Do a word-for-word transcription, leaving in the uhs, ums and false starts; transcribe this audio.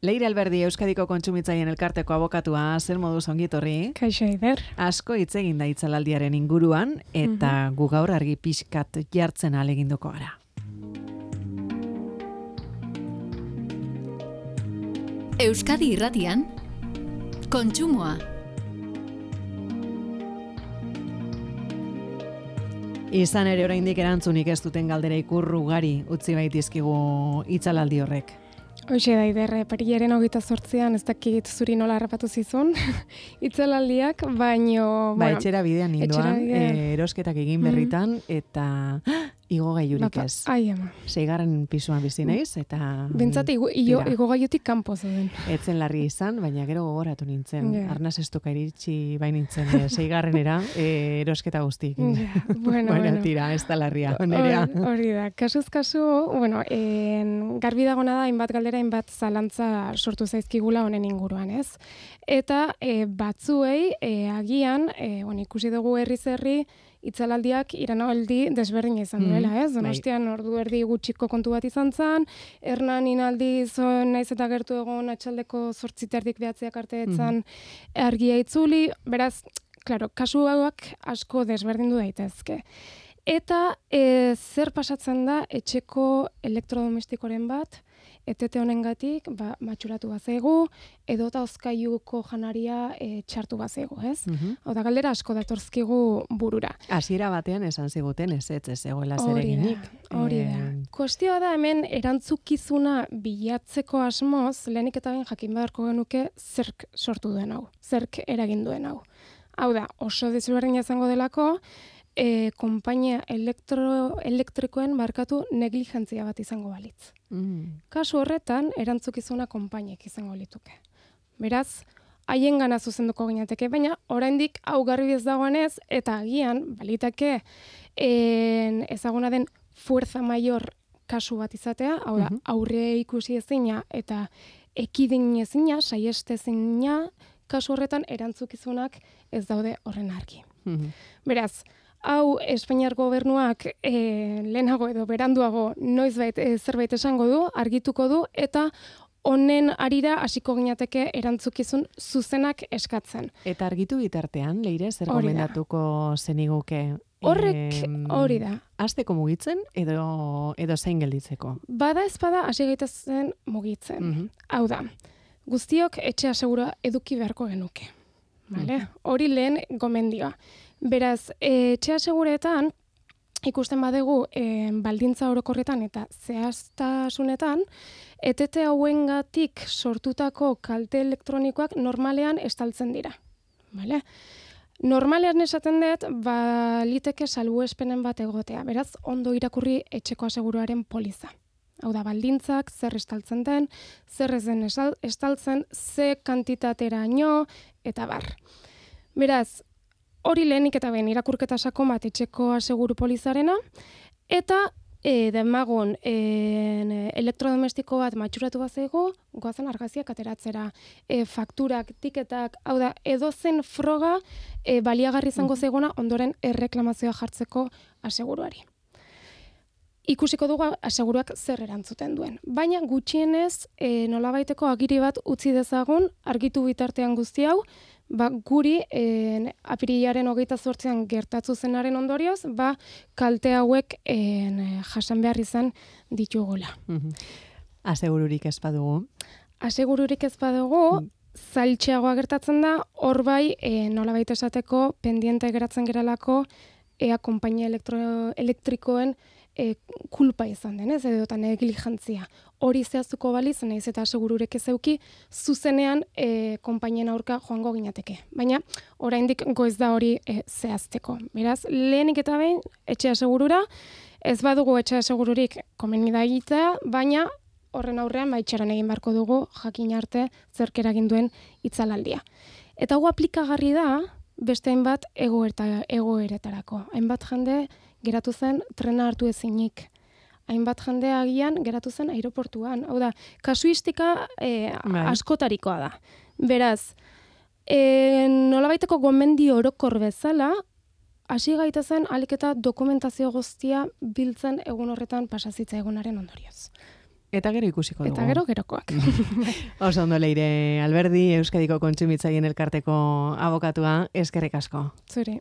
Leire Alberdi, Euskadiko Kontsumitzaien Elkarteko abokatua, zer moduz ongi etorri? Kaixo Eider. Asko hitz egin da itzalaldiaren inguruan, eta mm-hmm. gu gaur argi pixkat jartzen ahaleginduko gara. Euskadi Irratian, kontsumoa. Izan ere oraindik erantzunik ez duten galdera ikurru ugari utzi baitizkigu itzalaldi horrek. Hoxe da, Eider, parilaren hogeita zortzian, ez dakit zuri nola harrapatu zizun, itzalaldiak, baino... Ba, bueno, etxera bidean ninduan, e, erosketak egin berritan, mm. eta igo gaiurik Bapa, ez. Ai, ama. Seigarren pisuan bizi naiz, eta... Bentsat, igo, igo, igo gaiutik kanpo zeuden. Etzen larri izan, baina gero gogoratu nintzen. Yeah. Arnaz estuka iritsi bain nintzen, e, seigarrenera, e, erosketa guztik. Yeah. Bueno, bueno, bueno. tira, ez da larria, nerea. Hori da, kasuz kasu, bueno, en, garbi dagona da, hainbat galdera, hainbat zalantza sortu zaizkigula honen inguruan, ez? Eta e, batzuei, e, agian, e, on, ikusi dugu herriz herri, itzalaldiak iranaldi desberdina izan duela, ez? Donostian ordu erdi gutxiko kontu bat izan zen, Hernan inaldi zon naiz eta gertu egon atxaldeko zortziterdik behatziak arte etzan mm. argia itzuli, beraz, klaro, kasu hauak asko desberdindu daitezke. Eta e, zer pasatzen da etxeko elektrodomestikoren bat, etete honengatik, ba, matxuratu bazaigu, edota hozkailuko janaria e, txartu bazaigu, ez? Mm-hmm. Hau da, galdera asko datortzkigu burura. Hasiera batean esan ziguten ez ez ez egoela zereginik. Hori da. E... Kuestioa da hemen erantzukizuna bilatzeko asmoz, lehenik eta ben jakin beharko genuke zerk sortu duen hau, zerk eragin duen hau. Hau da, oso desberdina izango delako, E, konpainia elektro, elektrikoen barkatu negligentzia bat izango balitz. Mm. Kasu horretan, erantzukizuna konpainiek izango lituke. Beraz, haien gana zuzenduko ginateke, baina oraindik hau garbi ez dagoenez, eta agian, baliteke, en, ezaguna den fuerza mayor kasu bat izatea, hau da, mm-hmm. aurre ikusi ezina eta ekidin ezina, saieste ezina, kasu horretan erantzukizunak ez daude horren argi. Mm-hmm. Beraz, hau Espainiar gobernuak e, lehenago edo beranduago noizbait e, zerbait esango du, argituko du, eta honen arira hasiko ginateke erantzukizun zuzenak eskatzen. Eta argitu bitartean, Leire, zer gomendatuko zeniguke? Horrek hori da. Hasteko mugitzen edo edo zein gelditzeko? Bada ez bada hasi gaitezen mugitzen. Mm-hmm. Hau da, guztiok etxea segura eduki beharko genuke. Vale? Mm-hmm. Hori lehen gomendioa. Beraz, e, etxea seguretan, ikusten badegu e, baldintza orokorretan eta zehaztasunetan, etete hauengatik sortutako kalte elektronikoak normalean estaltzen dira. Vale? Normalean esaten dut, baliteke salbuespenen bat egotea. Beraz, ondo irakurri etxeko aseguruaren poliza. Hau da, baldintzak, zer estaltzen den, zer ez den estaltzen, ze kantitateraino, eta bar. Beraz, hori lehenik eta behin irakurketa sakon bat etxeko aseguru polizarena, eta e, demagun e, elektrodomestiko bat matxuratu bazaigu, goazen argaziak ateratzera, e, fakturak, tiketak, hau da, edozen froga e, baliagarri izango zaiguna ondoren erreklamazioa jartzeko aseguruari. Ikusiko dugu aseguruak zer erantzuten duen. Baina gutxienez e, nolabaiteko agiri bat utzi dezagun, argitu bitartean guzti hau, ba, guri e, apirilaren hogeita zortzian gertatu zenaren ondorioz, ba, kalte hauek e, jasan behar izan ditugula. Mm-hmm. Asegururik ez badugu? Asegururik ez badugu, mm. zailtxeagoa gertatzen da, hor bai e, nolabait esateko pendiente geratzen geralako ea konpainia elektro, elektrikoen E, kulpa izan denez, edo eta negligentzia. Hori zehaztuko baliz, nahiz eta asegururek ez euki, zuzenean e, konpainien aurka joango ginateke. Baina, oraindik goiz da hori e, zehazteko. Beraz, lehenik eta behin, etxe asegurura, ez badugu etxe asegururik komeni da egitea, baina horren aurrean baitxaran egin beharko dugu jakin arte zerk eragin duen itzalaldia. Eta hau aplikagarri da, beste hainbat egoeretarako. Hainbat jende geratu zen trena hartu ezinik. Hainbat jende agian geratu zen aeroportuan. Hau da, kasuistika e, askotarikoa da. Beraz, e, nolabaiteko gomendio orokor bezala, hasi gaitezen ahalik eta dokumentazio guztia biltzen egun horretan pasazitza egunaren ondorioz. Eta gero ikusiko dugu. Eta gero gerokoak. Oso ondo Leire Alberdi, Euskadiko Kontsumitzaileen Elkarteko abokatua, eskerrik asko. Zuri.